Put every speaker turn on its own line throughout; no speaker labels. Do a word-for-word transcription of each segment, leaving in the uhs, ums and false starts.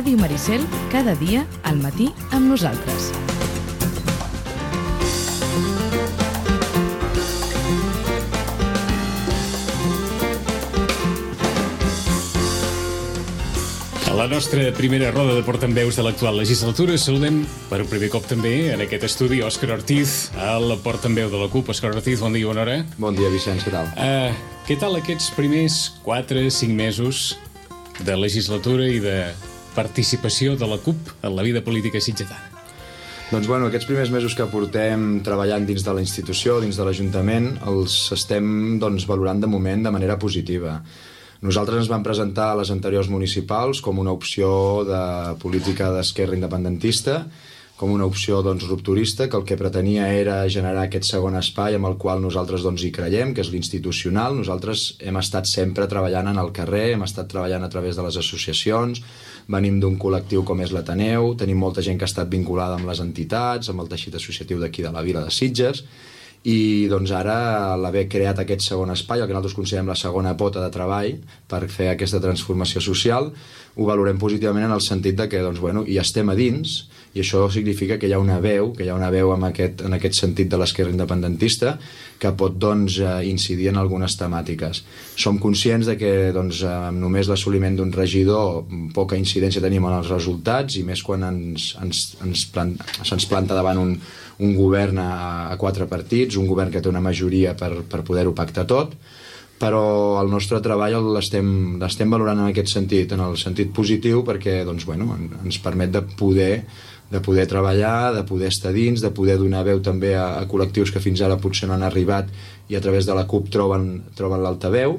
Ràdio Maricel, cada dia al matí amb nosaltres.
A la nostra primera roda de portaveus de l'actual legislatura saludem per un primer cop també en aquest estudi Òscar Ortiz, el portaveu de la CUP. Òscar Ortiz, bon dia, bona hora.
Bon dia, Vicenç, què tal?
Uh, què tal aquests primers quatre cinc mesos de legislatura i de participació de la CUP en la vida política sitgetana?
Doncs bueno, aquests primers mesos que portem treballant dins de la institució, dins de l'Ajuntament, els estem doncs, valorant de moment de manera positiva. Nosaltres ens vam presentar a les anteriors municipals com una opció de política d'esquerra independentista, com una opció doncs, rupturista, que el que pretenia era generar aquest segon espai amb el qual nosaltres doncs, hi creiem, que és l'institucional. Nosaltres hem estat sempre treballant en el carrer, hem estat treballant a través de les associacions, venim d'un col·lectiu com és l'Ateneu, tenim molta gent que ha estat vinculada amb les entitats, amb el teixit associatiu d'aquí de la vila de Sitges, i doncs ara l'haver creat aquest segon espai, el que nosaltres considerem la segona pota de treball per fer aquesta transformació social, ho valorem positivament en el sentit de que doncs, bueno, hi estem a dins, i això significa que hi ha una veu, que hi ha una veu en aquest, en aquest sentit de l'esquerra independentista que pot doncs, incidir en algunes temàtiques. Som conscients de que doncs, amb només l'assoliment d'un regidor poca incidència tenim en els resultats, i més quan ens, ens, ens, plant, se'ns planta davant un, un govern a, a quatre partits, un govern que té una majoria per, per poder-ho pactar tot, però el nostre treball l'estem l'estem valorant en aquest sentit, en el sentit positiu, perquè doncs, bueno, ens permet de poder de poder treballar, de poder estar dins, de poder donar veu també a, a col·lectius que fins ara potser no han arribat i a través de la CUP troben, troben l'altaveu.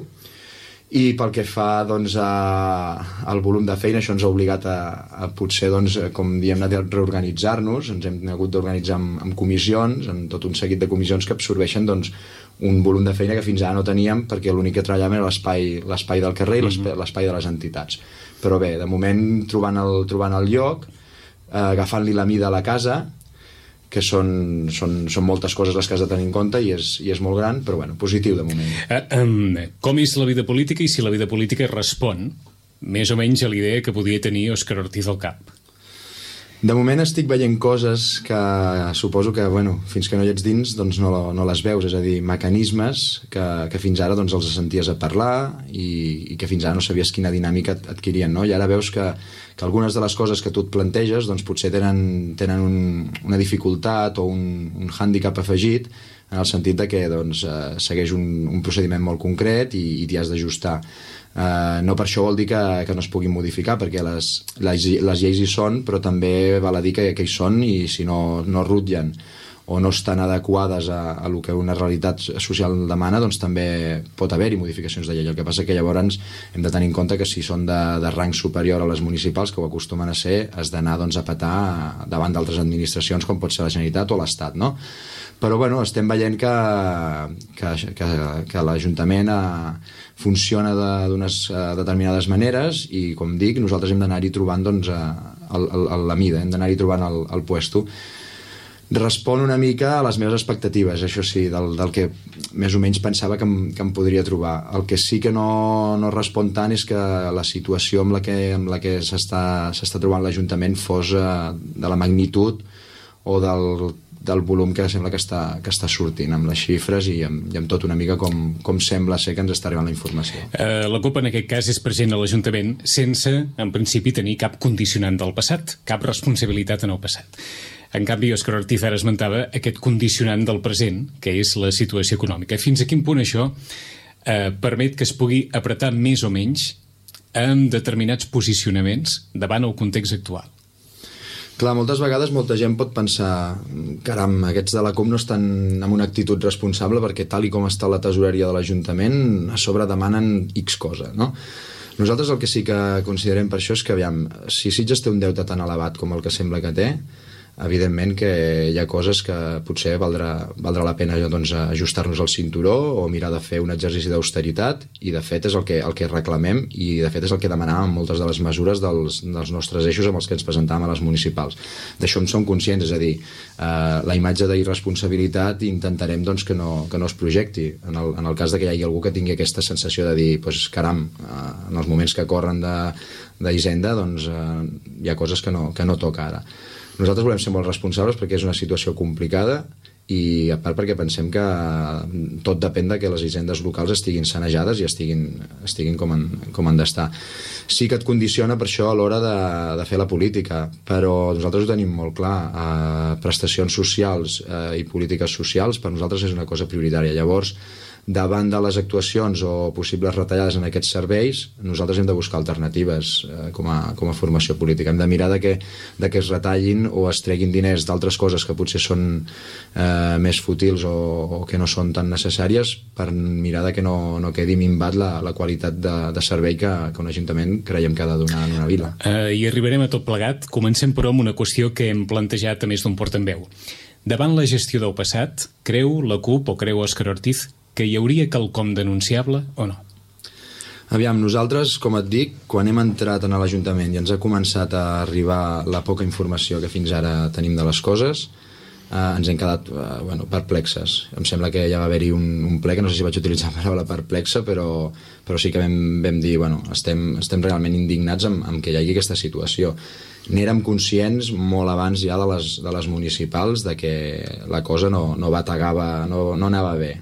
I pel que fa doncs, a, al volum de feina, això ens ha obligat a, a potser, doncs, com diem, a reorganitzar-nos. Ens hem hagut d'organitzar amb, amb comissions, en tot un seguit de comissions que absorbeixen doncs, un volum de feina que fins ara no teníem, perquè l'únic que treballàvem era l'espai l'espai del carrer i l'espai de les entitats. Però bé, de moment, trobant el, trobant el lloc, eh, agafant-li la mida a la casa, que són, són, són moltes coses les que has de tenir en compte, i és, i és molt gran, però bueno, positiu de moment.
Uh, um, com és la vida política i si la vida política respon més o menys a l'idea que podia tenir Òscar Ortiz al cap?
De moment estic veient coses que suposo que, bueno, fins que no hi ets dins, doncs no, no les veus, és a dir, mecanismes que, que fins ara doncs, els senties a parlar i, i que fins ara no sabies quina dinàmica adquirien, no? I ara veus que, que algunes de les coses que tu et planteges doncs, potser tenen, tenen un, una dificultat o un, un hàndicap afegit, en el sentit de que doncs, eh, segueix un, un procediment molt concret i, i t'hi has d'ajustar. Uh, no per això vol dir que, que no es puguin modificar, perquè les, les, les lleis hi són, però també val a dir que, que hi són, i si no, no rutllen o no estan adequades a, a el que una realitat social demana, doncs també pot haver-hi modificacions de llei. El que passa que llavors hem de tenir en compte que si són de, de rang superior a les municipals, que ho acostumen a ser, has d'anar doncs, a petar davant d'altres administracions com pot ser la Generalitat o l'Estat, no? Però bueno, estem veient que, que, que, que l'Ajuntament funciona d'unes determinades maneres, i com dic, nosaltres hem d'anar-hi trobant doncs, el, el, la mida, hem d'anar-hi trobant el, el puesto. Respon una mica a les meves expectatives, això sí, del, del que més o menys pensava que em, que em podria trobar. El que sí que no, no respon tant és que la situació amb la que, amb la que s'està s'està trobant l'Ajuntament fos de la magnitud o del del volum que sembla que està, que està sortint, amb les xifres i amb, i amb tot una mica com, com sembla ser que ens està arribant la informació.
Uh, la CUP en aquest cas és present a l'Ajuntament sense, en principi, tenir cap condicionant del passat, cap responsabilitat en el passat. En canvi, Òscar Ortiz ara esmentava aquest condicionant del present, que és la situació econòmica. Fins a quin punt això eh, permet que es pugui apretar més o menys amb determinats posicionaments davant el context actual?
Clar, moltes vegades molta gent pot pensar, caram, aquests de la CUP no estan amb una actitud responsable, perquè tal i com està la tesoreria de l'Ajuntament, a sobre demanen X cosa, no? Nosaltres el que sí que considerem per això és que, aviam, si Sitges té un deute tan elevat com el que sembla que té, evidentment que hi ha coses que potser valdrà, valdrà la pena doncs, ajustar-nos al cinturó o mirar de fer un exercici d'austeritat, i de fet és el que, el que reclamem, i de fet és el que demanàvem moltes de les mesures dels, dels nostres eixos amb els que ens presentàvem a les municipals. D'això en som conscients, és a dir, eh, la imatge d'irresponsabilitat intentarem doncs, que, no, que no es projecti en el, en el cas de que hi hagi algú que tingui aquesta sensació de dir, pues, caram, eh, en els moments que corren d'Hisenda doncs, eh, hi ha coses que no, que no toca ara. Nosaltres volem ser molt responsables perquè és una situació complicada, i a part perquè pensem que tot depèn de que les hisendes locals estiguin sanejades i estiguin, estiguin com, han, com han d'estar. Sí que et condiciona per això a l'hora de, de fer la política, però nosaltres ho tenim molt clar. Eh, prestacions socials eh, i polítiques socials per nosaltres és una cosa prioritària. Llavors, davant de les actuacions o possibles retallades en aquests serveis, nosaltres hem de buscar alternatives eh, com, a, com a formació política. Hem de mirar de que, de que es retallin o es treguin diners d'altres coses que potser són eh, més fútils o, o que no són tan necessàries, per mirar de que no, no quedi minvat la, la qualitat de, de servei que, que un ajuntament creiem que ha de donar en una vila.
Uh, I arribarem a tot plegat. Comencem, però, amb una qüestió que hem plantejat a més d'un portaveu. Davant la gestió del passat, creu la CUP o creu Òscar Ortiz que hi hauria quelcom denunciable o no?
Aviam, nosaltres, com et dic, quan hem entrat en l'Ajuntament i ens ha començat a arribar la poca informació que fins ara tenim de les coses, eh, ens hem quedat eh, bueno, perplexes. Em sembla que ja va haver-hi un, un ple, que no sé si vaig utilitzar la paraula perplexa, però, però sí que vam, vam dir, bueno, estem, estem realment indignats amb, amb que hi hagi aquesta situació. N'érem conscients molt abans ja de les, de les municipals de que la cosa no, no bategava, no, no anava bé,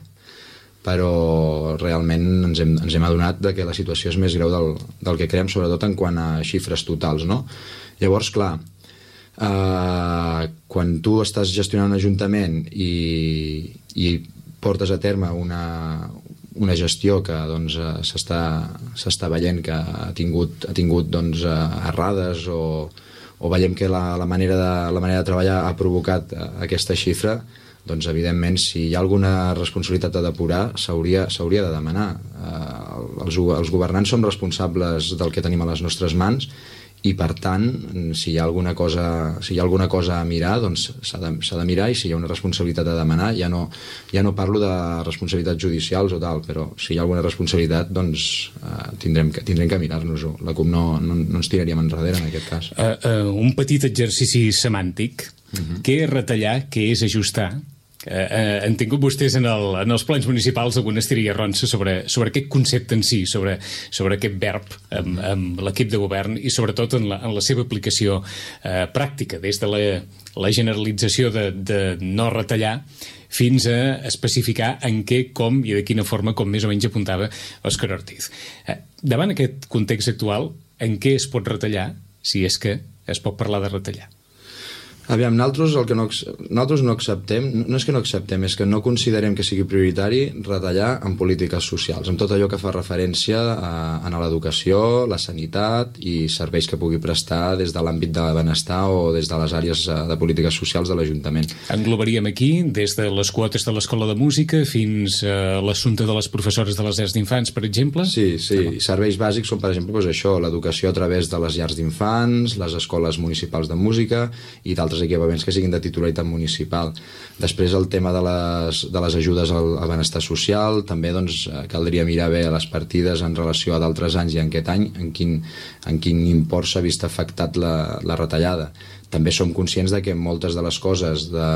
però realment ens hem, ens hem adonat de que la situació és més greu del, del que creiem, sobretot en quant a xifres totals, no? Llavors, clar, eh, quan tu estàs gestionant un ajuntament i, i portes a terme una, una gestió que doncs, s'està s'està veient que ha tingut, ha tingut doncs, errades o, o veiem que la, la, manera de, la manera de treballar ha provocat aquesta xifra, doncs evidentment si hi ha alguna responsabilitat a depurar s'hauria s'hauria de demanar. Eh, els, els governants som responsables del que tenim a les nostres mans, i per tant si hi ha alguna cosa, si hi ha alguna cosa a mirar, doncs s'ha de, s'ha de mirar, i si hi ha una responsabilitat a demanar, ja no, ja no parlo de responsabilitats judicials o tal, però si hi ha alguna responsabilitat doncs eh, tindrem que, tindrem que mirar-nos-ho. La CUP no, no, no ens tiraríem enrere en aquest cas.
Uh, uh, un petit exercici semàntic. Uh-huh. Què és retallar, què és ajustar? Uh, uh, han tingut vostès en, el, en els plans municipals alguna estiria ronça sobre, sobre aquest concepte en si, sobre, sobre aquest verb amb, amb l'equip de govern, i sobretot en la, en la seva aplicació uh, pràctica, des de la, la generalització de, de no retallar fins a especificar en què, com i de quina forma, com més o menys apuntava Òscar Ortiz. Uh, davant aquest context actual, en què es pot retallar, si és que es pot parlar de retallar?
Aviam, nosaltres, el que no, nosaltres no acceptem, no és que no acceptem, és que no considerem que sigui prioritari retallar en polítiques socials, en tot allò que fa referència a, a l'educació, la sanitat i serveis que pugui prestar des de l'àmbit de benestar o des de les àrees de polítiques socials de l'Ajuntament.
Englobaríem aquí des de les quotes de l'Escola de Música fins a l'assumpte de les professores de les llars d'infants, per exemple?
Sí, sí. No. Serveis bàsics són, per exemple, doncs això, l'educació a través de les llars d'infants, les escoles municipals de música i d'altres equipaments que siguin de titularitat municipal. Després el tema de les, de les ajudes al, al benestar social, també doncs, caldria mirar bé les partides en relació a d'altres anys i en aquest any, en quin, en quin import s'ha vist afectat la, la retallada. També som conscients de que moltes de les coses, de,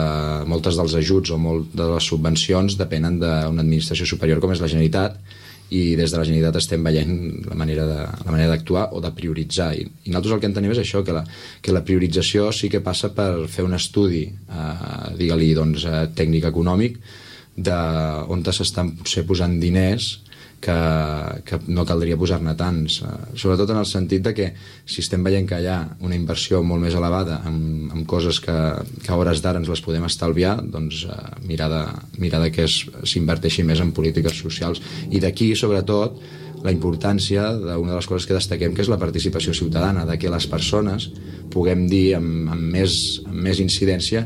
moltes dels ajuts o molt de les subvencions depenen d'una administració superior com és la Generalitat, i des de la Generalitat estem veient la manera de, la manera d'actuar o de prioritzar, i, i nosaltres el que entenem és això, que la, que la priorització sí que passa per fer un estudi eh, digue-li doncs, eh, tècnic econòmic d'on s'estan potser posant diners que, que no caldria posar-ne tants, eh, sobretot en el sentit de que si estem veient que hi ha una inversió molt més elevada en, en coses que, que a hores d'ara ens les podem estalviar, doncs eh, mirar, de, mirar de que s'inverteixi més en polítiques socials, i d'aquí sobretot la importància d'una de les coses que destaquem, que és la participació ciutadana, de que les persones puguem dir amb, amb, més, amb més incidència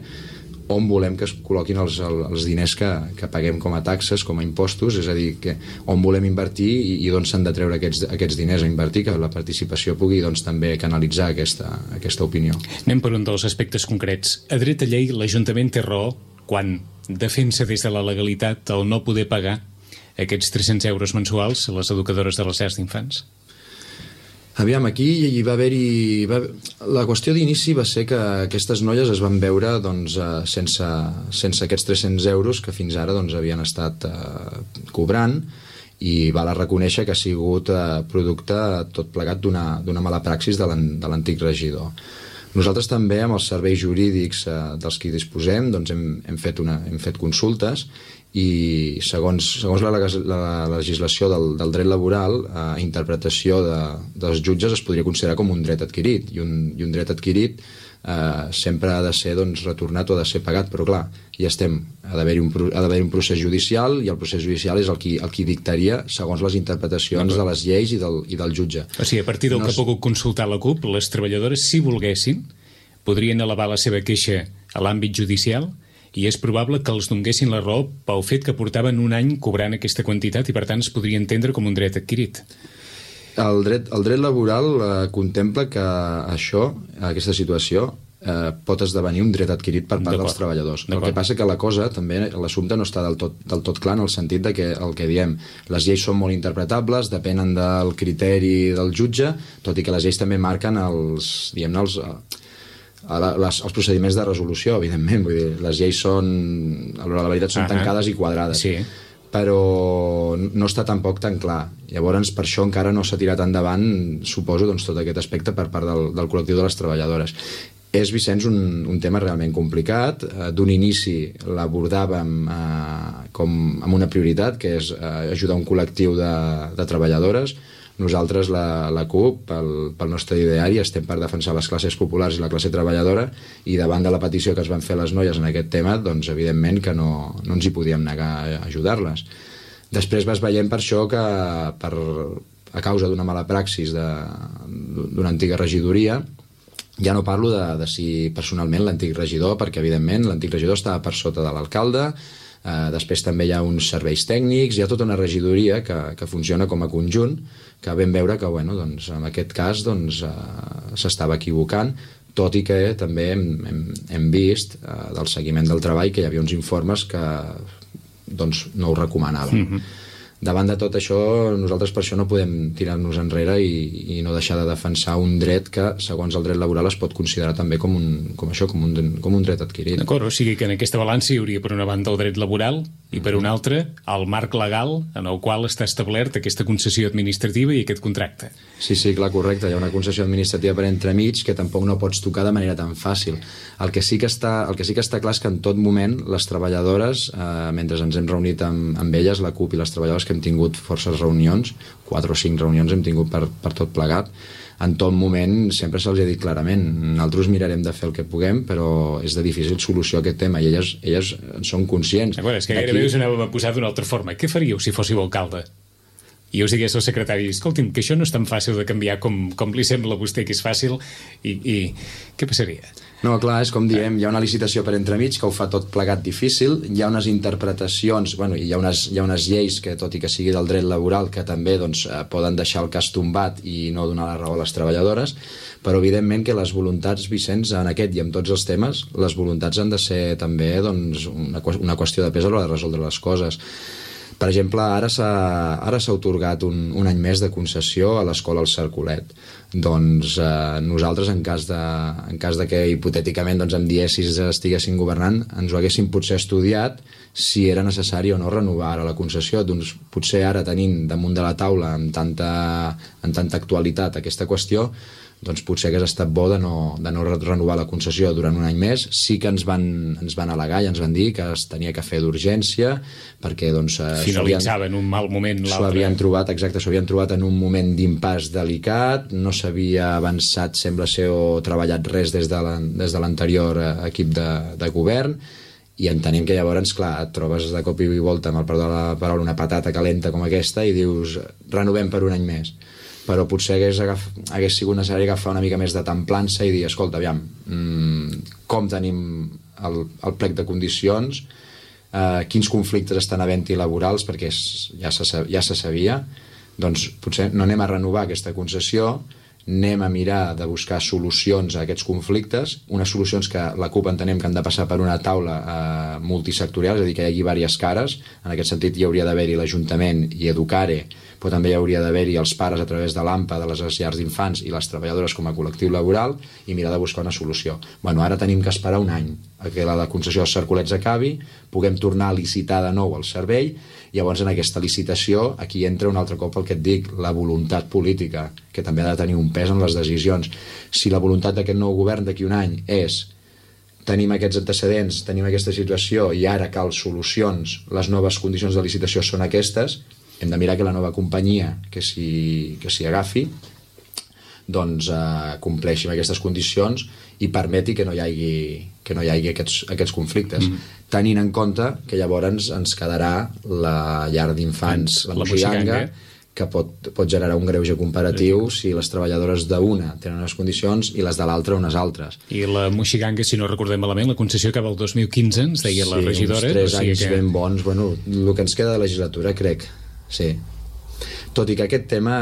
on volem que es col·loquin els, els diners que, que paguem com a taxes, com a impostos, és a dir, que on volem invertir i, i d'on s'han de treure aquests, aquests diners a invertir, que la participació pugui doncs, també canalitzar aquesta, aquesta opinió.
Anem per un dels aspectes concrets. A dret a llei, l'Ajuntament té raó quan defensa des de la legalitat el no poder pagar aquests tres-cents euros mensuals a les educadores de les llars d'infants?
Aviam, aquí hi va haver-hi... Va... La qüestió d'inici va ser que aquestes noies es van veure doncs, sense, sense aquests tres-cents euros que fins ara doncs, havien estat eh, cobrant, i val a reconèixer que ha sigut eh, producte tot plegat d'una mala praxis de l'antic regidor. Nosaltres també, amb els serveis jurídics eh, dels que disposem, doncs hem, hem, fet una, hem fet consultes i segons, segons la, la, la legislació del, del dret laboral, a eh, interpretació de, dels jutges es podria considerar com un dret adquirit, i un, i un dret adquirit eh, sempre ha de ser doncs, retornat o ha de ser pagat, però clar, ja estem, ha d'haver-hi un, ha d'haver un procés judicial, i el procés judicial és el qui, el qui dictaria segons les interpretacions de les lleis i del, i del jutge.
O sigui, a partir del no que ha pogut consultar la CUP, les treballadores, si volguessin, podrien elevar la seva queixa a l'àmbit judicial, i és probable que els donguessin la raó pel fet que portaven un any cobrant aquesta quantitat i per tant es podria entendre com un dret adquirit.
El dret, el dret laboral eh, contempla que això, aquesta situació, eh, pot esdevenir un dret adquirit per part dels treballadors. El que passa que la cosa, també, l'assumpte no està del tot, del tot clar en el sentit de que el que diem, les lleis són molt interpretables, depenen del criteri del jutge, tot i que les lleis també marquen els, diguem-ne, els... Les, els procediments de resolució, evidentment, vull dir, les lleis són, a l'hora de la veritat, són uh-huh. tancades i quadrades, sí. Però no està tampoc tan clar. Llavors, per això encara no s'ha tirat endavant, suposo, doncs, tot aquest aspecte per part del, del col·lectiu de les treballadores. És, Vicenç, un, un tema realment complicat. D'un inici l'abordàvem eh, com amb una prioritat, que és eh, ajudar un col·lectiu de, de treballadores. Nosaltres, la, la CUP, pel, pel nostre ideari, estem per defensar les classes populars i la classe treballadora, i davant de la petició que es van fer les noies en aquest tema, doncs evidentment que no, no ens hi podíem negar a ajudar-les. Després vas veient per això que, per, a causa d'una mala praxis d'una antiga regidoria, ja no parlo de, de si personalment l'antic regidor, perquè evidentment l'antic regidor estava per sota de l'alcalde. Uh, després també hi ha uns serveis tècnics, hi ha tota una regidoria que, que funciona com a conjunt, que vam veure que bueno, doncs, en aquest cas doncs, uh, s'estava equivocant, tot i que també hem, hem, hem vist uh, del seguiment del treball que hi havia uns informes que doncs, no ho recomanaven. Mm-hmm. Davant de tot això, nosaltres per això no podem tirar-nos enrere i, i no deixar de defensar un dret que, segons el dret laboral, es pot considerar també com un, com això, com un, com un dret adquirit.
D'acord, o sigui que en aquesta balança hi hauria per una banda el dret laboral i per una altra el marc legal en el qual està establert aquesta concessió administrativa i aquest contracte.
Sí, sí, clar, correcte. Hi ha una concessió administrativa per entremig que tampoc no pots tocar de manera tan fàcil. El que sí que està, el que sí que està clar és que en tot moment les treballadores, eh, mentre ens hem reunit amb, amb elles, la CUP i les treballadores, que hem tingut forces reunions, quatre o cinc reunions hem tingut per, per tot plegat, en tot moment sempre se'ls ha dit clarament, nosaltres mirarem de fer el que puguem, però és de difícil solució aquest tema, i elles, elles en són conscients.
Bueno, és que gairebé us anàvem a posar d'una altra forma. Què faríeu si fóssiu alcalde? I us digués el secretari, escolti'm, que això no és tan fàcil de canviar com, com li sembla a vostè que és fàcil, i, i què passaria?
No, clar, és com diem, hi ha una licitació per entremig que ho fa tot plegat difícil, hi ha unes interpretacions, bueno, hi ha unes, hi ha unes lleis que, tot i que sigui del dret laboral, que també doncs, poden deixar el cas tombat i no donar la raó a les treballadores, però evidentment que les voluntats, Vicenç, en aquest i en tots els temes, les voluntats han de ser també doncs, una, una qüestió de pes a l'hora de resoldre les coses. Per exemple, ara s'ha ara s'ha atorgat un, un any més de concessió a l'escola El Cercolet. Doncs eh, nosaltres, en cas, de, en cas de que hipotèticament doncs, em diessis estiguessin governant, ens ho haguéssim potser estudiat si era necessari o no renovar ara la concessió. Doncs potser ara, tenint damunt de la taula amb tanta, amb tanta actualitat aquesta qüestió, doncs potser hagués estat bo de no, de no renovar la concessió durant un any més. Sí que ens van, ens van al·legar i ens van dir que es tenia que fer d'urgència, perquè doncs,
finalitzava en un mal moment l'altre.
S'ho havien trobat, exacte, s'ho havien trobat en un moment d'impàs delicat, no s'havia avançat, sembla ser, o treballat res des de l'anterior equip de, de govern, i entenem que llavors, clar, et trobes de cop i volta, amb el perdó de la paraula, una patata calenta com aquesta i dius, renovem per un any més. Però potser hagués, agaf... hagués sigut necessari agafar una mica més de templança i dir, escolta, aviam, mmm, com tenim el, el plec de condicions, eh, quins conflictes estan havent-hi laborals, perquè és, ja, se, ja se sabia, doncs potser no anem a renovar aquesta concessió, anem a mirar de buscar solucions a aquests conflictes, unes solucions que la CUP entenem que han de passar per una taula eh, multisectorial, és a dir, que hi hagi diverses cares. En aquest sentit hi hauria d'haver-hi l'Ajuntament i Educare, però també hi hauria d'haver-hi els pares a través de l'A M P A, de les llars d'infants i les treballadores com a col·lectiu laboral, i mirar de buscar una solució. Bueno, ara tenim que esperar un any a que la concessió dels Cercolets acabi, puguem tornar a licitar de nou el servei. Llavors en aquesta licitació aquí entra un altre cop el que et dic, la voluntat política, que també ha de tenir un pes en les decisions. Si la voluntat d'aquest nou govern d'aquí un any és tenim aquests antecedents, tenim aquesta situació i ara cal solucions, les noves condicions de licitació són aquestes, hem de mirar que la nova companyia que s'hi que s'hi agafi doncs eh, compleixi amb aquestes condicions i permeti que no hi hagi, que no hi hagi aquests, aquests conflictes. Mm. Tenint en compte que llavors ens quedarà la llar d'infants, la, la Moixiganga, que pot, pot generar un greuge comparatiu si les treballadores d'una tenen unes condicions i les de l'altra unes altres.
I la Moixiganga, si no recordem malament, la concessió acaba el dos mil quinze, ens deia sí, la regidora.
Sí, uns tres
o sigui
anys
que...
ben bons. Bueno, el que ens queda de legislatura, crec, sí. Tot i que aquest tema,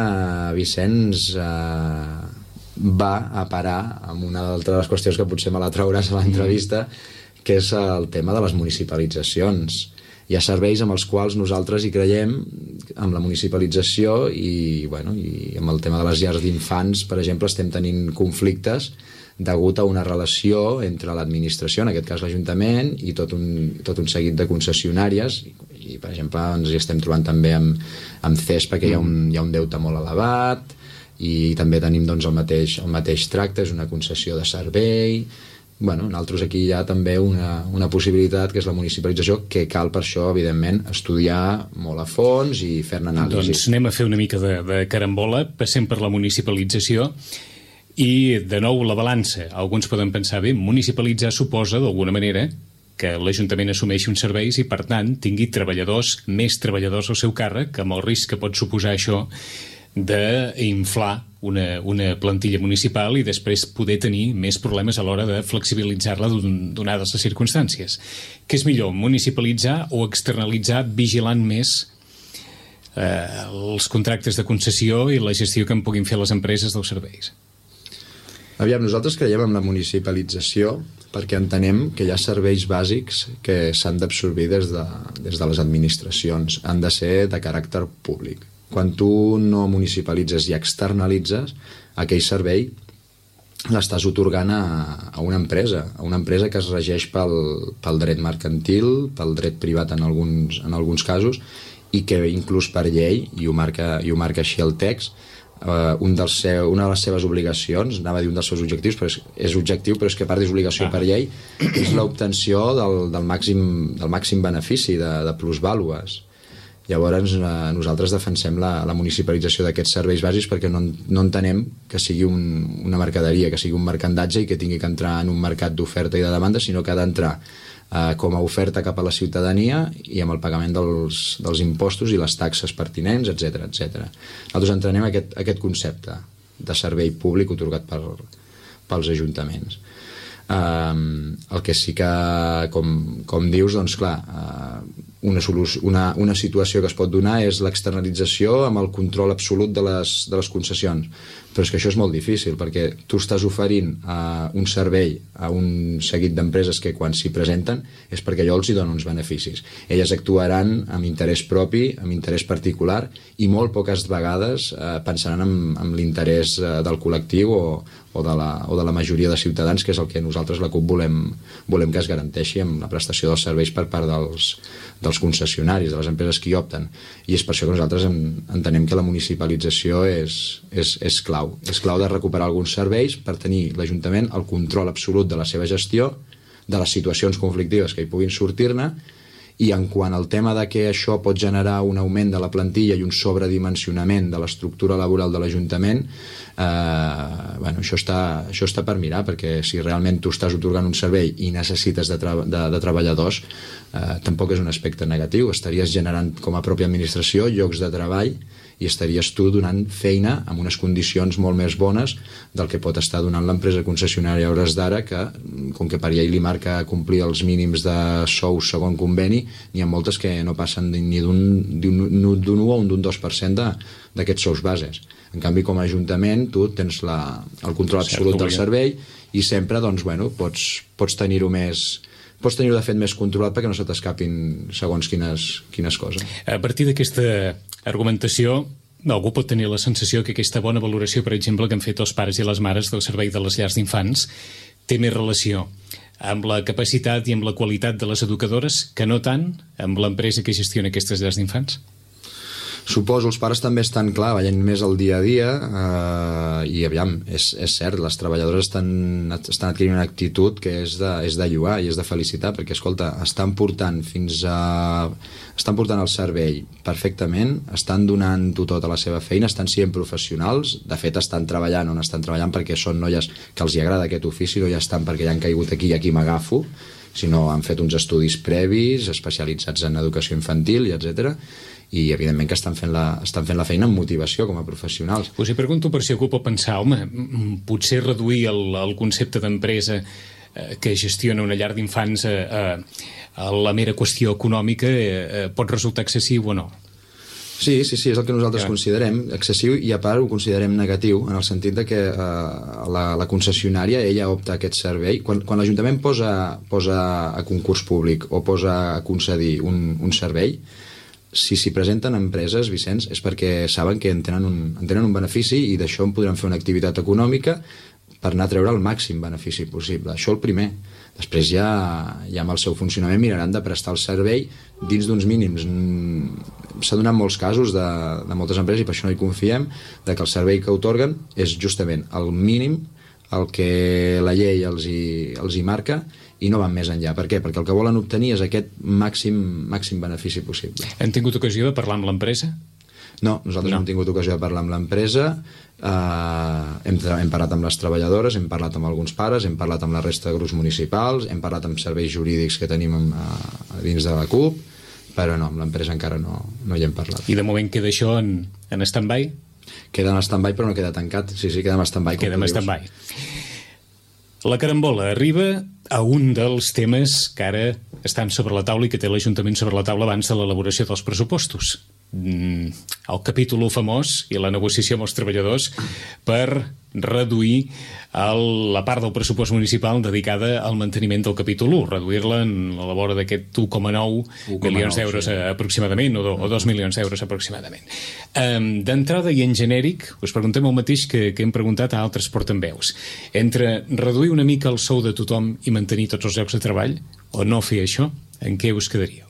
Vicenç, eh, va a parar amb una altra de les qüestions que potser me la trauràs a l'entrevista, que és el tema de les municipalitzacions. Hi ha serveis amb els quals nosaltres hi creiem, amb la municipalització i, bueno, i amb el tema de les llars d'infants, per exemple, estem tenint conflictes degut a una relació entre l'administració, en aquest cas l'Ajuntament, i tot un, tot un seguit de concessionàries, i, i per exemple ens hi estem trobant també amb, amb C E S perquè hi ha, un, hi ha un deute molt elevat, i també tenim doncs, el, mateix, el mateix tracte, és una concessió de servei. Bueno, nosaltres aquí hi ha també una, una possibilitat, que és la municipalització, que cal per això, evidentment, estudiar molt a fons i fer-ne anàlisi.
Doncs anem a fer una mica de, de carambola, passem per la municipalització i, de nou, la balança. Alguns poden pensar, bé, municipalitzar suposa, d'alguna manera, que l'Ajuntament assumeixi uns serveis i, per tant, tingui treballadors, més treballadors al seu càrrec, amb el risc que pot suposar això d'inflar una, una plantilla municipal i després poder tenir més problemes a l'hora de flexibilitzar-la donades les circumstàncies. Què és millor, municipalitzar o externalitzar vigilant més eh, els contractes de concessió i la gestió que en puguin fer les empreses dels serveis?
Aviam, nosaltres creiem en la municipalització perquè entenem que hi ha serveis bàsics que s'han d'absorbir des de, des de les administracions, han de ser de caràcter públic. Quan tu no municipalitzes i externalitzes, aquell servei l'estàs otorgant a, a una empresa, a una empresa que es regeix pel, pel dret mercantil, pel dret privat en alguns, en alguns casos, i que inclús per llei, i ho marca, i ho marca així el text, eh, un dels seu, una de les seves obligacions, anava a dir un dels seus objectius, però és, és objectiu, però és que a part és obligació ah. per llei, és l'obtenció del, del, màxim, del màxim benefici de, de plusvàlues. Llavors eh, nosaltres defensem la, la municipalització d'aquests serveis bàsics perquè no, no entenem que sigui un, una mercaderia, que sigui un mercandatge i que tingui que entrar en un mercat d'oferta i de demanda, sinó que ha d'entrar eh, com a oferta cap a la ciutadania i amb el pagament dels, dels impostos i les taxes pertinents, etcètera, etcètera. Nosaltres entenem aquest, aquest concepte de servei públic otorgat per, pels ajuntaments. Um, el que sí que, com, com dius, doncs clar, uh, una, una, una situació que es pot donar és l'externalització amb el control absolut de les, de les concessions, però és que això és molt difícil perquè tu estàs oferint uh, un servei a un seguit d'empreses que quan s'hi presenten és perquè allò els hi dona uns beneficis. Elles actuaran amb interès propi, amb interès particular, i molt poques vegades uh, pensaran en, en l'interès uh, del col·lectiu o, o, de la, o de la majoria de ciutadans, que és el que nosaltres la CUP volem, volem que es garanteixi amb la prestació dels serveis per part dels, dels concessionaris, de les empreses que hi opten. I és per això que nosaltres en, entenem que la municipalització és, és, és clau. És clau de recuperar alguns serveis per tenir l'Ajuntament el control absolut de la seva gestió, de les situacions conflictives que hi puguin sortir-ne, i en quant al tema de que això pot generar un augment de la plantilla i un sobredimensionament de l'estructura laboral de l'Ajuntament, eh, bueno, això està, això està per mirar, perquè si realment tu estàs otorgant un servei i necessites de, tra de, de treballadors, eh, tampoc és un aspecte negatiu. Estaries generant com a pròpia administració llocs de treball i estaries tu donant feina amb unes condicions molt més bones del que pot estar donant l'empresa concessionària a hores d'ara, que com que per llei li marca complir els mínims de sous segon conveni, n'hi ha moltes que no passen ni d'un u o un d'un dos per cent d'aquests sous bases. En canvi, com a ajuntament, tu tens la, el control absolut del servei i sempre doncs, bueno, pots, pots tenir-ho més... pots tenir-ho de fet més controlat perquè no se t'escapin segons quines, quines coses.
A partir d'aquesta argumentació, algú pot tenir la sensació que aquesta bona valoració, per exemple, que han fet els pares i les mares del servei de les llars d'infants té més relació amb la capacitat i amb la qualitat de les educadores que no tant amb l'empresa que gestiona aquestes llars d'infants?
Suposo, els pares també estan, clar, veient més el dia a dia eh, i aviam, és, és cert, les treballadores estan, estan adquirint una actitud que és de, és de lloar i és de felicitar, perquè, escolta, estan portant fins a... estan portant el servei perfectament, estan donant-ho tota la seva feina, estan sent professionals, de fet estan treballant on estan treballant perquè són noies que els hi agrada aquest ofici, no ja estan perquè ja han caigut aquí i aquí m'agafo, sinó han fet uns estudis previs, especialitzats en educació infantil i etcètera, i evidentment que estan fent la, estan fent la feina amb motivació com a professionals.
Us hi pregunto per si algú pot pensar, home, potser reduir el, el concepte d'empresa eh, que gestiona una llar d'infants a, a, a la mera qüestió econòmica eh, pot resultar excessiu o no?
Sí, sí, sí, és el que nosaltres
ja.
considerem excessiu i a part ho considerem negatiu en el sentit de que eh, la, la concessionària ella opta a aquest servei. Quan, quan l'Ajuntament posa, posa a concurs públic o posa a concedir un, un servei, si s'hi presenten empreses, Vicenç, és perquè saben que en tenen un, en tenen un benefici i d'això en podran fer una activitat econòmica per anar a treure el màxim benefici possible. Això el primer. Després ja, ja amb el seu funcionament miraran de prestar el servei dins d'uns mínims. S'ha donat molts casos de, de moltes empreses, i per això no hi confiem, de que el servei que otorguen és justament el mínim, el que la llei els hi, els hi marca, i no van més enllà. Per què? Perquè el que volen obtenir és aquest màxim, màxim benefici possible.
Han tingut ocasió de parlar amb l'empresa?
No, nosaltres no. no hem tingut ocasió de parlar amb l'empresa, eh, hem, hem parlat amb les treballadores, hem parlat amb alguns pares, hem parlat amb la resta de grups municipals, hem parlat amb serveis jurídics que tenim a, a dins de la C U P, però no, amb l'empresa encara no, no hi hem parlat.
I de moment queda això en, en stand-by?
Queda en stand-by però no queda tancat. Sí, sí, queda en stand-by.
Queda en stand-by. La carambola arriba a un dels temes que ara estan sobre la taula i que té l'Ajuntament sobre la taula abans de l'elaboració dels pressupostos. Mm, el capítol famós i la negociació amb els treballadors per reduir el, la part del pressupost municipal dedicada al manteniment del capítol u, reduir-la en la vora d'aquest u coma nou milions d'euros sí. aproximadament, o, do, o dos milions d'euros aproximadament. Um, D'entrada i en genèric, us preguntem el mateix que, que hem preguntat a altres portaveus. Entre reduir una mica el sou de tothom i mantenir tots els llocs de treball, o no fer això, en què us quedaríeu?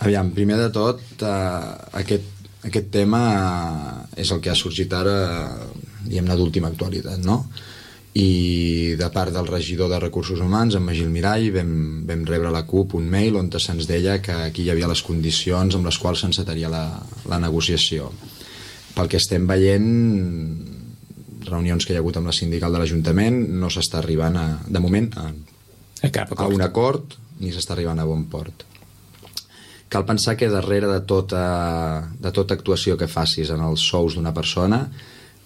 Aviam, primer de tot, eh, aquest, aquest tema és el que ha sorgit ara, diguem-ne, d'última actualitat, no? I de part del regidor de Recursos Humans, en Magí Mirall, vam, vam rebre a la C U P un mail on se'ns deia que aquí hi havia les condicions amb les quals s'encetaria la, la negociació. Pel que estem veient, reunions que hi ha hagut amb la sindical de l'Ajuntament, no s'està arribant, a, de moment, a,
a, cap
a un acord, ni s'està arribant a bon port. Cal pensar que darrere de tota, de tota actuació que facis en els sous d'una persona,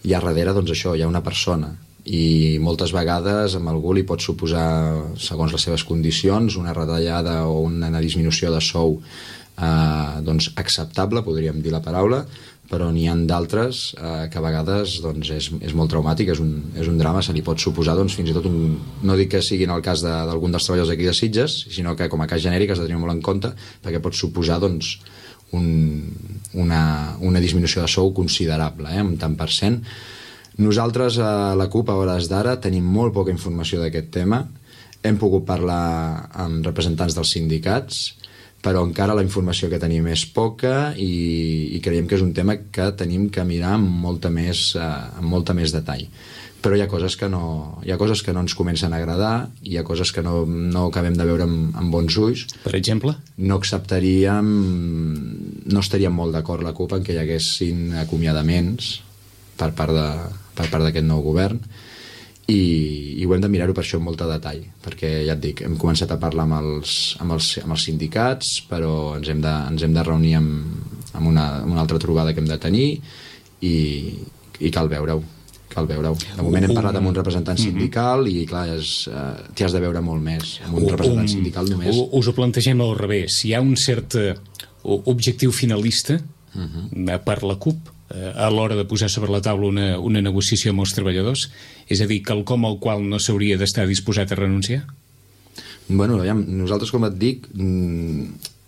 hi ha darrere, doncs això, hi ha una persona. I moltes vegades amb algú li pot suposar, segons les seves condicions, una retallada o una disminució de sou eh, doncs acceptable, podríem dir la paraula, però n'hi ha d'altres eh, que a vegades doncs, és, és molt traumàtic, és un, és un drama, se li pot suposar doncs, fins i tot un... No dic que sigui en el cas d'algun de, dels treballadors d'aquí de Sitges, sinó que com a cas genèric has de tenir molt en compte, perquè pot suposar doncs, un, una, una disminució de sou considerable, eh, un tant per cent. Nosaltres a la C U P a hores d'ara tenim molt poca informació d'aquest tema, hem pogut parlar amb representants dels sindicats, però encara la informació que tenim és poca i, i creiem que és un tema que tenim que mirar amb molta més, eh, amb molta més detall. Però hi ha coses que no, hi ha coses que no ens comencen a agradar, hi ha coses que no, no acabem de veure amb, amb bons ulls.
Per exemple?
No acceptaríem, no estaríem molt d'acord la C U P en que hi haguessin acomiadaments per part de, per part d'aquest nou govern, i, i ho hem de mirar-ho per això amb molt de detall, perquè ja et dic, hem començat a parlar amb els, amb els, amb els sindicats, però ens hem de, ens hem de reunir amb, amb una, amb una altra trobada que hem de tenir i, i cal veure-ho. Cal veure-ho. De moment hem parlat amb un representant sindical i, clar, uh, t'hi has de veure molt més. Amb un representant sindical només...
Us ho plantegem al revés. Hi ha un cert uh, objectiu finalista uh -huh. per la CUP uh, a l'hora de posar sobre la taula una, una negociació amb els treballadors? És a dir, quelcom al qual no s'hauria d'estar disposat a renunciar?
Bueno, aviam, nosaltres, com et dic,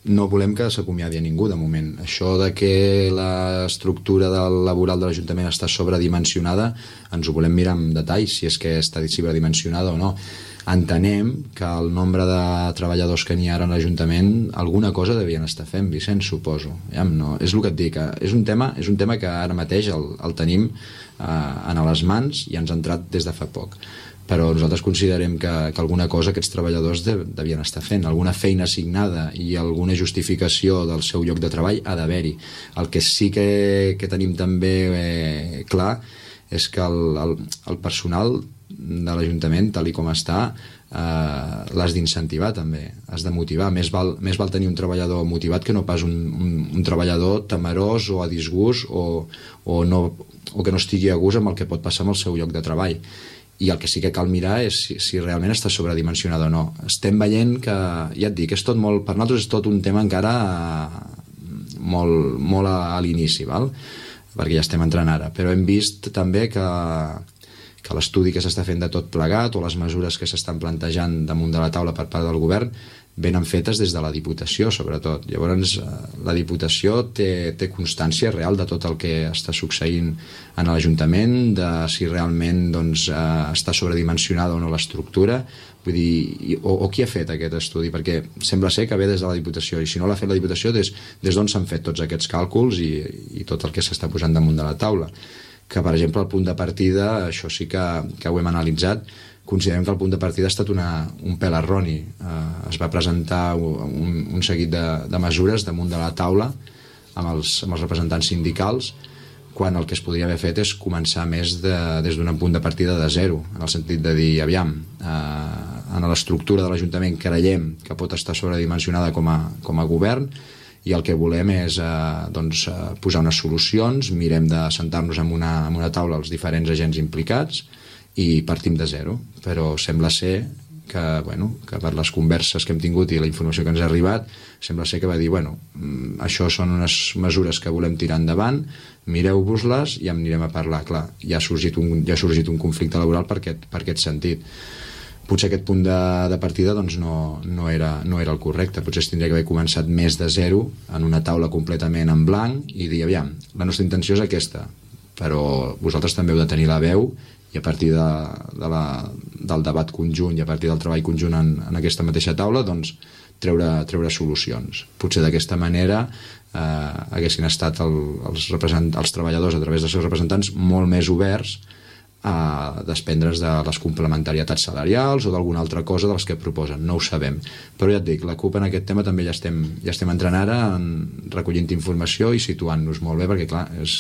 no volem que s'acomiadi a ningú de moment. Això de que l'estructura del laboral de l'Ajuntament està sobredimensionada, ens ho volem mirar amb detall, si és que està sobredimensionada o no. Entenem que el nombre de treballadors que n'hi ha ara a l'Ajuntament alguna cosa devien estar fent, Vicenç, suposo. Ja, no, és el que et dic, és un tema, és un tema que ara mateix el, el tenim eh, a les mans i ens ha entrat des de fa poc. Però nosaltres considerem que, que alguna cosa aquests treballadors de, devien estar fent, alguna feina assignada i alguna justificació del seu lloc de treball ha d'haver-hi. El que sí que, que tenim també eh, clar és que el, el, el personal de l'Ajuntament, tal i com està, eh, l'has d'incentivar també, has de motivar. Més val, més val tenir un treballador motivat que no pas un, un, un treballador temerós o a disgust o, o, no, o que no estigui a gust amb el que pot passar amb el seu lloc de treball. I el que sí que cal mirar és si, si realment està sobredimensionada o no. Estem veient que, ja et dic, és tot molt, per nosaltres és tot un tema encara molt, molt a, a l'inici, val? Perquè ja estem entrant ara, però hem vist també que, que l'estudi que s'està fent de tot plegat o les mesures que s'estan plantejant damunt de la taula per part del govern venen fetes des de la Diputació, sobretot. Llavors, la Diputació té, té constància real de tot el que està succeint en l'Ajuntament, de si realment doncs, està sobredimensionada o no l'estructura, vull dir, o, o qui ha fet aquest estudi, perquè sembla ser que ve des de la Diputació, i si no l'ha fet la Diputació, des, des d'on s'han fet tots aquests càlculs i, i tot el que s'està posant damunt de la taula. Que, per exemple, el punt de partida, això sí que, que ho hem analitzat, considerem que el punt de partida ha estat una, un pèl erroni. Eh, es va presentar un, un seguit de, de mesures damunt de la taula amb els, amb els representants sindicals, quan el que es podria haver fet és començar més de, des d'un punt de partida de zero, en el sentit de dir, aviam, eh, en l'estructura de l'Ajuntament creiem que pot estar sobredimensionada com a, com a govern, i el que volem és eh, doncs, eh, posar unes solucions, mirem de sentar-nos en una, en una taula els diferents agents implicats i partim de zero, però sembla ser que, bueno, que per les converses que hem tingut i la informació que ens ha arribat, sembla ser que va dir, bueno, això són unes mesures que volem tirar endavant, mireu-vos-les i en anirem a parlar. Clar, ja ha sorgit un, ja ha sorgit un conflicte laboral per aquest, per aquest sentit. Potser aquest punt de, de partida doncs, no, no, era, no era el correcte, potser es tindria que haver començat més de zero, en una taula completament en blanc, i dir, aviam, la nostra intenció és aquesta, però vosaltres també heu de tenir la veu i a partir de, de la, del debat conjunt i a partir del treball conjunt en, en aquesta mateixa taula, doncs treure, treure solucions. Potser d'aquesta manera eh, haguessin estat el, els, els treballadors a través dels seus representants molt més oberts a desprendre's de les complementarietats salarials o d'alguna altra cosa de les que proposen, no ho sabem. Però ja et dic, la CUP en aquest tema també ja estem, ja estem entrant ara en recollint informació i situant-nos molt bé, perquè clar, és,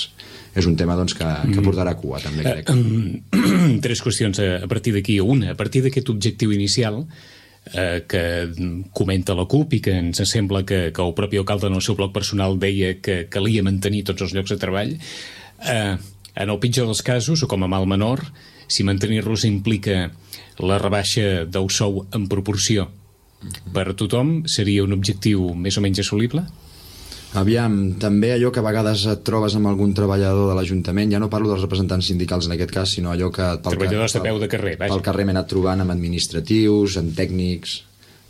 és un tema doncs, que, que portarà cua també, crec.
Uh, tres qüestions a partir d'aquí. Una, a partir d'aquest objectiu inicial eh, que comenta la CUP i que ens sembla que, que el propi alcalde en el seu bloc personal deia que calia mantenir tots els llocs de treball, eh, en el pitjor dels casos, o com a mal menor, si mantenir-los implica la rebaixa del sou en proporció per a tothom, seria un objectiu més o menys assolible?
Aviam, també allò que a vegades et trobes amb algun treballador de l'Ajuntament, ja no parlo dels representants sindicals en aquest cas, sinó allò que...
Treballadors de peu de carrer, vaja.
Pel carrer m'he anat trobant amb administratius, amb tècnics...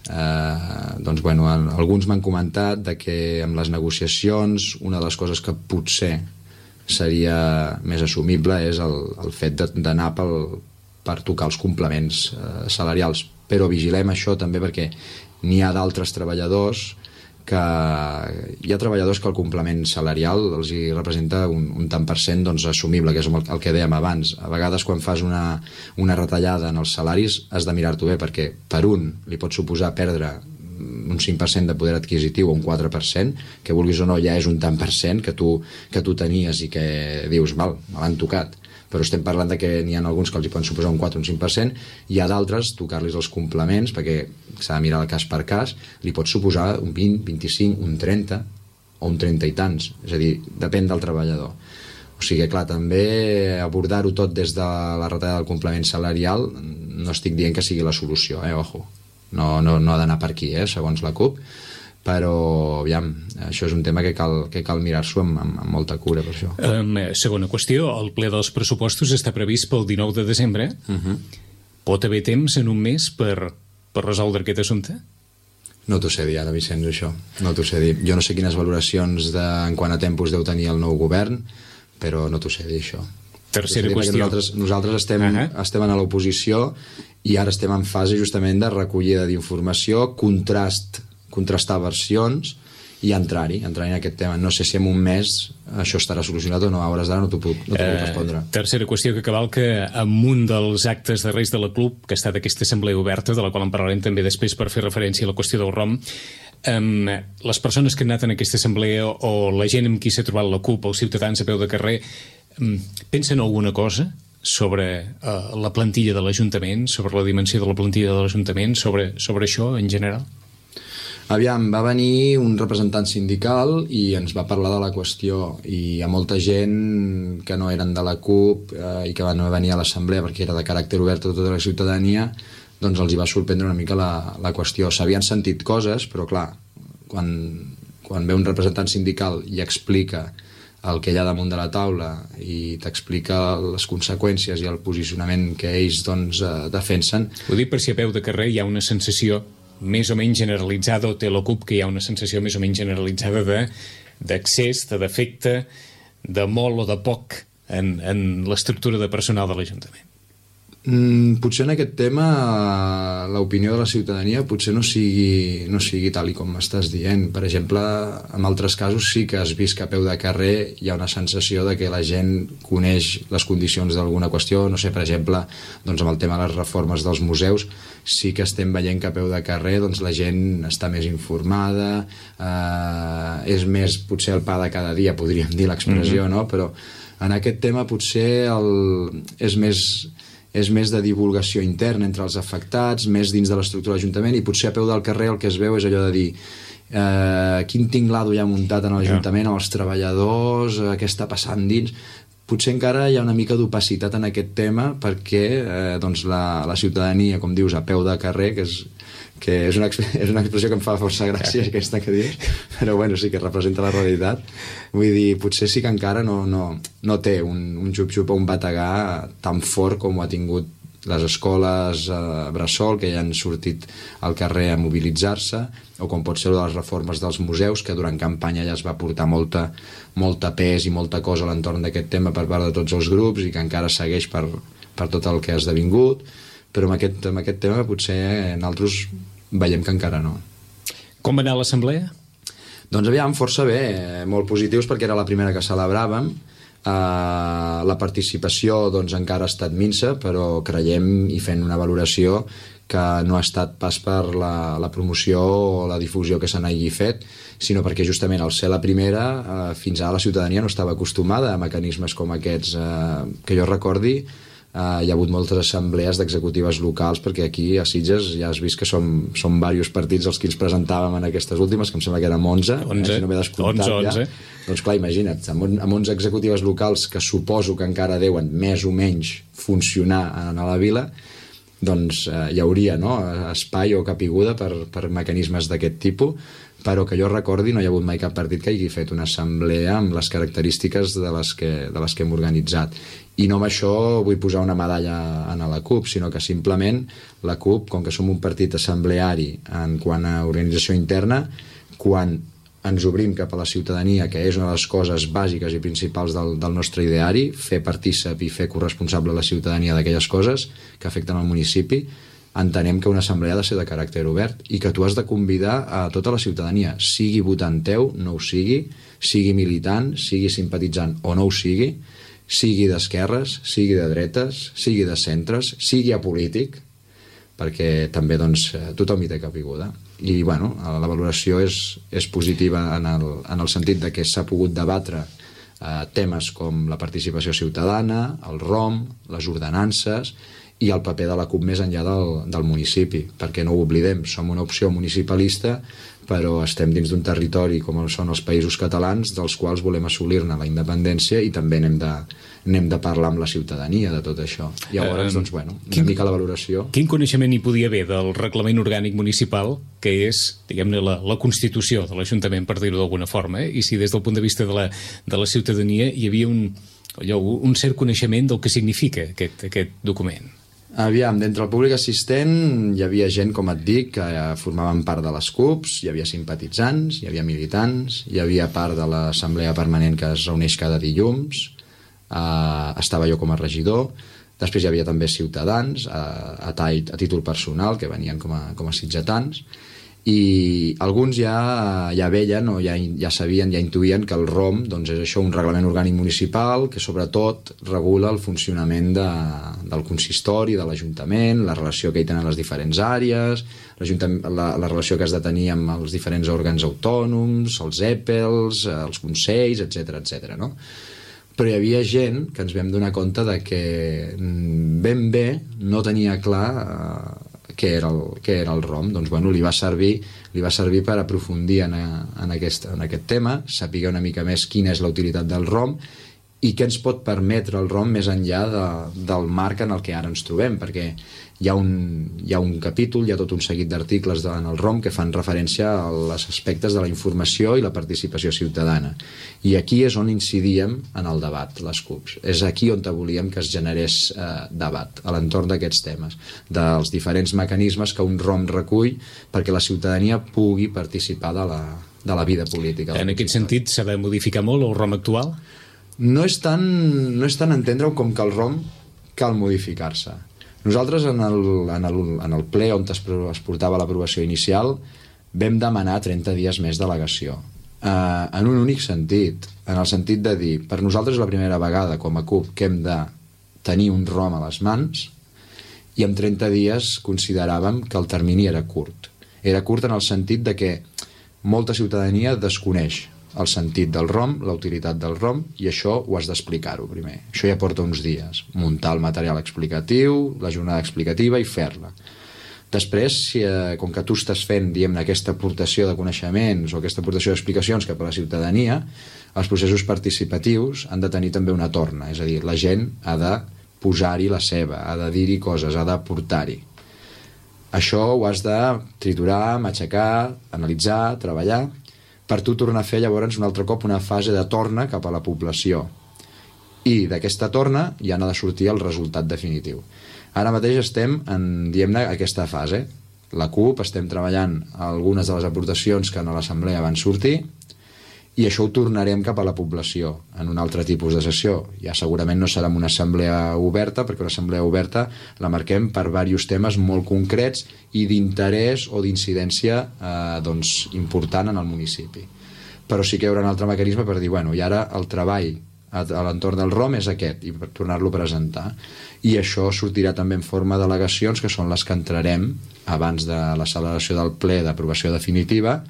Eh, doncs bueno, alguns m'han comentat de que amb les negociacions una de les coses que potser seria més assumible és el, el fet d'anar pel, per tocar els complements eh, salarials, però vigilem això també perquè n'hi ha d'altres treballadors que hi ha treballadors que el complement salarial els hi representa un, un tant per cent doncs, assumible, que és el, el que dèiem abans. A vegades quan fas una, una retallada en els salaris has de mirar-t'ho bé, perquè per un li pot suposar perdre un cinc per cent de poder adquisitiu o un quatre per cent, que vulguis o no ja és un tant per cent que tu, que tu tenies i que dius, val, me l'han tocat, però estem parlant de que n'hi ha alguns que els hi poden suposar un quatre o un cinc per cent, hi ha d'altres, tocar-los els complements, perquè s'ha de mirar el cas per cas, li pot suposar un vint, vint-i-cinc, un trenta, o un trenta i tants, és a dir, depèn del treballador. O sigui, clar, també abordar-ho tot des de la retallada del complement salarial no estic dient que sigui la solució, eh, ojo. No, no, no ha d'anar per aquí, eh, segons la CUP, però, aviam, això és un tema que cal, que cal mirar-s'ho amb, amb, amb molta cura, per això.
Um, segona qüestió, el ple dels pressupostos està previst pel dinou de desembre. Uh-huh. Pot haver temps en un mes per, per resoldre aquest assumpte?
No t'ho sé dir ara, Vicenç, això. No t'ho sé dir. Jo no sé quines valoracions de, en quant a tempos deu tenir el nou govern, però no t'ho sé dir, això.
Tercera qüestió.
Nosaltres, nosaltres estem, uh-huh. estem a l'oposició i ara estem en fase justament de recollida d'informació, contrast, contrastar versions i entrar-hi, entrar-hi en aquest tema. No sé si en un mes això estarà solucionat o no, a hores d'ara no t'ho puc, no t'ho puc respondre.
Eh, tercera qüestió que cavalca amb un dels actes de Reis de la CUP, que ha estat aquesta assemblea oberta, de la qual en parlarem també després per fer referència a la qüestió del ROM. Um, les persones que han anat en aquesta assemblea o la gent amb qui s'ha trobat la CUP, els ciutadans a peu de carrer, um, pensen alguna cosa sobre uh, la plantilla de l'Ajuntament, sobre la dimensió de la plantilla de l'Ajuntament, sobre, sobre això en general?
Aviam, va venir un representant sindical i ens va parlar de la qüestió, i hi ha molta gent que no eren de la CUP eh, i que van venir a l'assemblea perquè era de caràcter obert a tota la ciutadania, doncs els hi va sorprendre una mica la, la qüestió. S'havien sentit coses, però clar, quan, quan ve un representant sindical i explica el que hi ha damunt de la taula i t'explica les conseqüències i el posicionament que ells doncs, eh, defensen...
Ho dic per si a peu de carrer hi ha una sensació més o menys generalitzada, o té la CUP que hi ha una sensació més o menys generalitzada de, d'accés, de defecte, de molt o de poc en, en l'estructura de personal de l'Ajuntament.
Mm, potser en aquest tema l'opinió de la ciutadania potser no sigui, no sigui tal i com m'estàs dient. Per exemple, en altres casos sí que has vist que a peu de carrer hi ha una sensació de que la gent coneix les condicions d'alguna qüestió. No sé, per exemple, doncs amb el tema de les reformes dels museus sí que estem veient que a peu de carrer doncs, la gent està més informada, eh, és més potser el pa de cada dia, podríem dir l'expressió, mm-hmm. no? Però en aquest tema potser el, és més... és més de divulgació interna entre els afectats, més dins de l'estructura de l'Ajuntament, i potser a peu del carrer el que es veu és allò de dir eh, quin tinglado hi ha muntat en l'Ajuntament amb els treballadors, eh, què està passant dins. Potser encara hi ha una mica d'opacitat en aquest tema perquè eh, doncs la, la ciutadania, com dius, a peu de carrer, que és, que és, una, és una expressió que em fa força gràcia aquesta que dius, però bueno, sí que representa la realitat. Vull dir, potser sí que encara no, no, no té un, un xup-xup o un bategar tan fort com ho ha tingut les escoles eh, bressol, que ja han sortit al carrer a mobilitzar-se, o com pot ser les reformes dels museus, que durant campanya ja es va portar molta, molta pes i molta cosa a l'entorn d'aquest tema per part de tots els grups i que encara segueix per, per tot el que ha esdevingut, però amb aquest, amb aquest tema potser nosaltres veiem que encara no.
Com va anar l'assemblea?
Doncs aviam, força bé, molt positius perquè era la primera que celebràvem. Uh, la participació doncs, encara ha estat minsa, però creiem i fent una valoració que no ha estat pas per la, la promoció o la difusió que se n'hagi fet, sinó perquè justament al ser la primera, uh, fins ara la ciutadania no estava acostumada a mecanismes com aquests. Uh, que jo recordi, Uh, hi ha hagut moltes assemblees d'executives locals, perquè aquí a Sitges ja has vist que som, som diversos partits els que ens presentàvem en aquestes últimes, que em sembla que érem onze,
onze,
eh, si no m'he descomptat
onze, onze.
Ja. Doncs clar, imagina't, amb, amb onze executives locals que suposo que encara deuen més o menys funcionar a la vila, doncs eh, hi hauria, no?, espai o capiguda per, per mecanismes d'aquest tipus, però que jo recordi no hi ha hagut mai cap partit que hagi fet una assemblea amb les característiques de les que, de les que hem organitzat. I no amb això vull posar una medalla a la CUP, sinó que simplement la CUP, com que som un partit assembleari en quant a organització interna, quan ens obrim cap a la ciutadania, que és una de les coses bàsiques i principals del, del nostre ideari, fer partícip i fer corresponsable a la ciutadania d'aquelles coses que afecten el municipi, entenem que una assemblea ha de ser de caràcter obert i que tu has de convidar a tota la ciutadania, sigui votant teu, no ho sigui, sigui militant, sigui simpatitzant o no ho sigui, sigui d'esquerres, sigui de dretes, sigui de centres, sigui apolític, perquè també doncs, tothom hi té capiguda. I bueno, la valoració és, és positiva en el, en el sentit de que s'ha pogut debatre eh, temes com la participació ciutadana, el ROM, les ordenances, i el paper de la CUP més enllà del, del municipi, perquè no ho oblidem, som una opció municipalista, però estem dins d'un territori com són els països catalans, dels quals volem assolir-ne la independència, i també n'hem de, n'hem de parlar amb la ciutadania de tot això. Llavors, doncs, bueno, una
quin,
mica la valoració.
Quin coneixement hi podia haver del reglament orgànic municipal, que és, diguem-ne, la, la Constitució de l'Ajuntament, per dir-ho d'alguna forma, eh? I si des del punt de vista de la, de la ciutadania hi havia un, allò, un cert coneixement del que significa aquest, aquest document?
Aviam, d'entre el públic assistent hi havia gent, com et dic, que formaven part de les CUPs, hi havia simpatitzants, hi havia militants, hi havia part de l'assemblea permanent que es reuneix cada dilluns, eh, estava jo com a regidor, després hi havia també ciutadans a, a, a títol personal, que venien com a, com a sitgetans, i alguns ja, ja veien o ja, ja sabien, ja intuïen que el ROM, doncs, és això, un reglament orgànic municipal que sobretot regula el funcionament de, del consistori, de l'Ajuntament, la relació que hi tenen les diferents àrees, la, la relació que has de tenir amb els diferents òrgans autònoms, els E P E Ls, els consells, etcètera, etcètera, no? Però hi havia gent que ens vam donar compte de que ben bé no tenia clar eh, què era el, què era el ROM. Doncs, bueno, li va servir, li va servir per aprofundir en, a, en, aquest, en aquest tema, saber una mica més quina és la utilitat del ROM i què ens pot permetre el ROM més enllà de, del marc en el que ara ens trobem, perquè hi ha un, hi ha un capítol, hi ha tot un seguit d'articles en el ROM que fan referència als aspectes de la informació i la participació ciutadana. I aquí és on incidíem en el debat, les CUPs. És aquí on volíem que es generés eh, debat, a l'entorn d'aquests temes, dels diferents mecanismes que un ROM recull perquè la ciutadania pugui participar de la, de la vida política.
En aquest sentit, s'ha de modificar molt el ROM actual?
No és tant, no és tant entendre-ho com que el ROM cal modificar-se. Nosaltres en el, en el, en el ple on es, es portava l'aprovació inicial vam demanar trenta dies més d'al·legació. Eh, en un únic sentit, en el sentit de dir, per nosaltres és la primera vegada com a CUP que hem de tenir un ROM a les mans i en trenta dies consideràvem que el termini era curt. Era curt en el sentit de que molta ciutadania desconeix el sentit del ROM, la utilitat del ROM, i això ho has d'explicar-ho primer. Això ja porta uns dies. Muntar el material explicatiu, la jornada explicativa i fer-la. Després, si, eh, com que tu estàs fent, diguem-ne, aquesta aportació de coneixements o aquesta aportació d'explicacions cap a la ciutadania, els processos participatius han de tenir també una torna, és a dir, la gent ha de posar-hi la seva, ha de dir-hi coses, ha d'aportar-hi. Això ho has de triturar, matxacar, analitzar, treballar, per tu tornar a fer llavors un altre cop una fase de torna cap a la població. I d'aquesta torna ja n'ha de sortir el resultat definitiu. Ara mateix estem en, diguem-ne, aquesta fase. La CUP estem treballant algunes de les aportacions que a l'assemblea van sortir i això ho tornarem cap a la població en un altre tipus de sessió. Ja segurament no serà una assemblea oberta, perquè una assemblea oberta la marquem per diversos temes molt concrets i d'interès o d'incidència eh, doncs, important en el municipi. Però sí que hi haurà un altre mecanisme per dir, bueno, i ara el treball a, a l'entorn del ROM és aquest, i per tornar-lo a presentar. I això sortirà també en forma d'al·legacions, que són les que entrarem abans de la celebració del ple d'aprovació definitiva.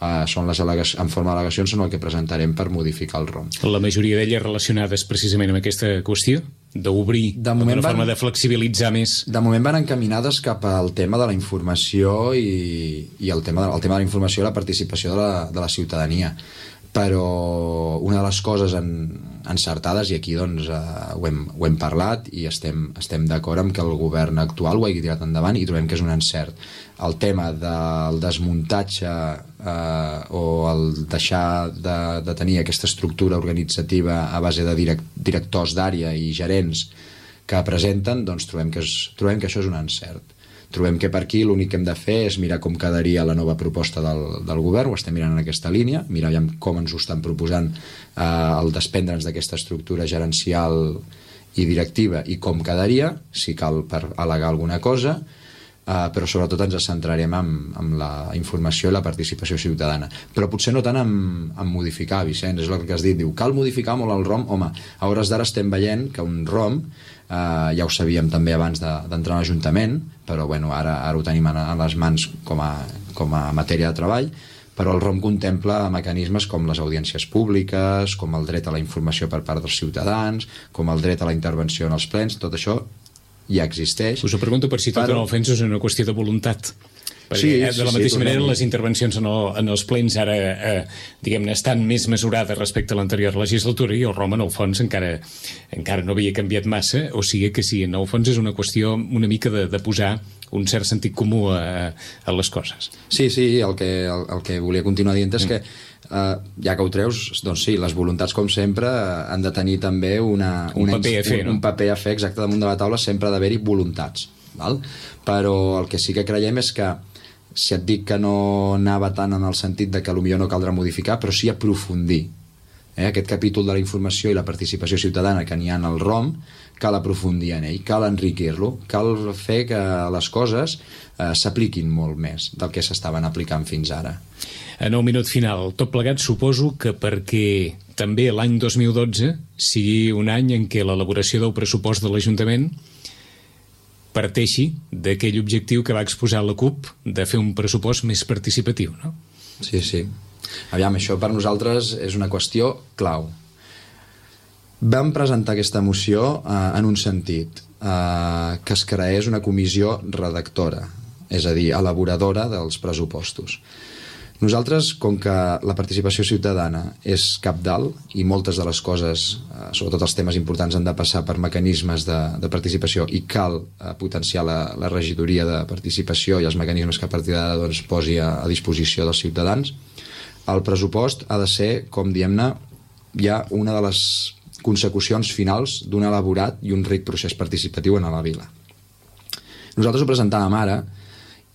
Uh, són les en forma d'al·legacions són el que presentarem per modificar el ROM.
La majoria d'elles relacionades precisament amb aquesta qüestió? D'obrir, d'una forma de flexibilitzar més?
De moment van encaminades cap al tema de la informació i, i el, tema de, el tema de la informació i la participació de la, de la ciutadania. Però una de les coses en, encertades, i aquí doncs, eh, ho, hem, ho hem parlat i estem, estem d'acord amb que el govern actual ho hagi tirat endavant i trobem que és un encert. El tema del desmuntatge eh, o el deixar de, de tenir aquesta estructura organitzativa a base de direct, directors d'àrea i gerents que presenten, doncs trobem que, és, trobem que això és un encert. Trobem que per aquí l'únic que hem de fer és mirar com quedaria la nova proposta del, del govern, ho estem mirant en aquesta línia, mirar com ens ho estan proposant eh, el desprendre'ns d'aquesta estructura gerencial i directiva i com quedaria, si cal per al·legar alguna cosa, eh, però sobretot ens centrarem en, en la informació i la participació ciutadana. Però potser no tant en, en modificar, Vicenç, és el que has dit, diu, cal modificar molt el ROM? Home, a hores d'ara estem veient que un ROM, Uh, ja ho sabíem també abans d'entrar de, a l'Ajuntament, però bueno, ara, ara ho tenim a, a les mans com a, com a matèria de treball, però el ROM contempla mecanismes com les audiències públiques, com el dret a la informació per part dels ciutadans, com el dret a la intervenció en els plens, tot això ja existeix.
Us ho pregunto per si tot
però...
en el fons és una qüestió de voluntat. Perquè,
sí,
eh, de la
sí,
mateixa
sí,
manera,
tornem.
les intervencions en, el, en els plens ara, eh, diguem-ne, estan més mesurades respecte a l'anterior legislatura i el Roma, en el fons, encara, encara no havia canviat massa, o sigui que sí, en el fons és una qüestió una mica de, de posar un cert sentit comú a, a les coses.
Sí, sí, el que, el, el que volia continuar dient és mm. que Uh, ja que ho treus, doncs sí, les voluntats com sempre han de tenir també una,
un,
una
paper a fer,
un,
no?
un paper a fer exacte damunt de la taula, sempre ha d'haver-hi voluntats, val? Però el que sí que creiem és que si et dic que no anava tant en el sentit de que potser no caldrà modificar, però sí aprofundir, eh? Aquest capítol de la informació i la participació ciutadana que n'hi ha en el ROM, cal aprofundir en ell, cal enriquir-lo, cal fer que les coses eh, s'apliquin molt més del que s'estaven aplicant fins ara.
En el minut final, tot plegat suposo que perquè també l'any dos mil dotze sigui un any en què l'elaboració del pressupost de l'Ajuntament parteixi d'aquell objectiu que va exposar la CUP de fer un pressupost més participatiu, no?
Sí, sí. Aviam, això per nosaltres és una qüestió clau. Vam presentar aquesta moció eh, en un sentit, eh, que es creés una comissió redactora, és a dir, elaboradora dels pressupostos. Nosaltres, com que la participació ciutadana és cabdalt i moltes de les coses, eh, sobretot els temes importants, han de passar per mecanismes de, de participació i cal eh, potenciar la, la regidoria de participació i els mecanismes que a partir d'ara doncs, posi a, a disposició dels ciutadans, el pressupost ha de ser, com diem-ne, ja una de les consecucions finals d'un elaborat i un ric procés participatiu en la vila. Nosaltres ho presentàvem ara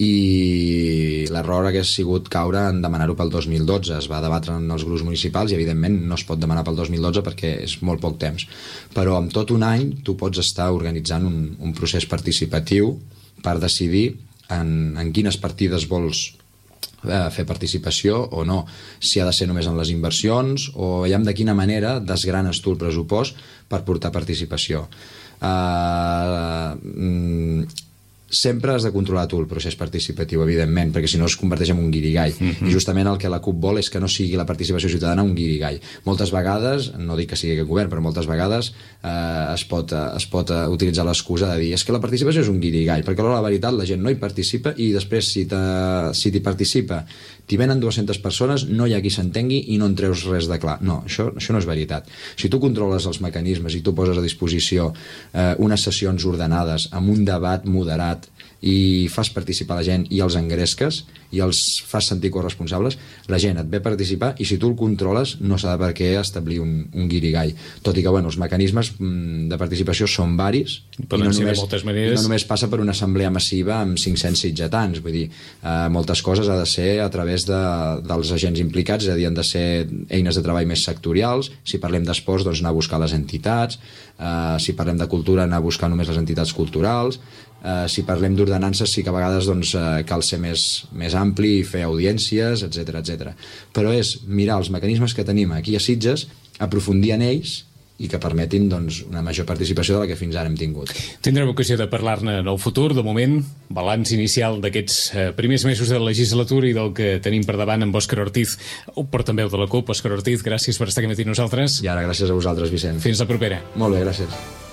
i l'error hagués sigut caure en demanar-ho pel dos mil dotze. Es va debatre en els grups municipals i evidentment no es pot demanar pel dos mil dotze perquè és molt poc temps, però en tot un any tu pots estar organitzant un, un procés participatiu per decidir en, en quines partides vols eh, fer participació o no, si ha de ser només en les inversions o veiem de quina manera desgranes tu el pressupost per portar participació. Uh, mm, sempre has de controlar tu el procés participatiu, evidentment, perquè si no es converteix en un guirigall. Mm-hmm. I justament el que la CUP vol és que no sigui la participació ciutadana un guirigall. Moltes vegades, no dic que sigui aquest govern, però moltes vegades eh, es pot, es pot utilitzar l'excusa de dir és que la participació és un guirigall, perquè a la veritat la gent no hi participa i després si t'hi si participa t'hi venen dues-centes persones, no hi ha qui s'entengui i no en treus res de clar. No, això, això no és veritat. Si tu controles els mecanismes i tu poses a disposició eh, unes sessions ordenades amb un debat moderat i fas participar la gent i els engresques i els fas sentir corresponsables, la gent et ve a participar i si tu el controles no s'ha de per què establir un, un guirigall. Tot i que bueno, els mecanismes de participació són varis i no, només, i no només passa per una assemblea massiva amb cinc-cents sitgetans, vull dir, eh, moltes coses ha de ser a través de, dels agents implicats, és a dir, han de ser eines de treball més sectorials. Si parlem d'esports, doncs anar a buscar les entitats, eh, si parlem de cultura, anar a buscar només les entitats culturals. Uh, si parlem d'ordenances sí que a vegades doncs, uh, cal ser més, més ampli i fer audiències, etcètera, etcètera. Però és mirar els mecanismes que tenim aquí a Sitges, aprofundir en ells i que permetin doncs, una major participació de la que fins ara hem tingut.
Tindrem ocasió de parlar-ne en el futur. De moment, balanç inicial d'aquests eh, primers mesos de la legislatura i del que tenim per davant amb Òscar Ortiz, o portaveu de la CUP. Òscar Ortiz, gràcies per estar aquí amb nosaltres.
I ara gràcies a vosaltres, Vicent.
Fins la propera.
Molt bé, gràcies.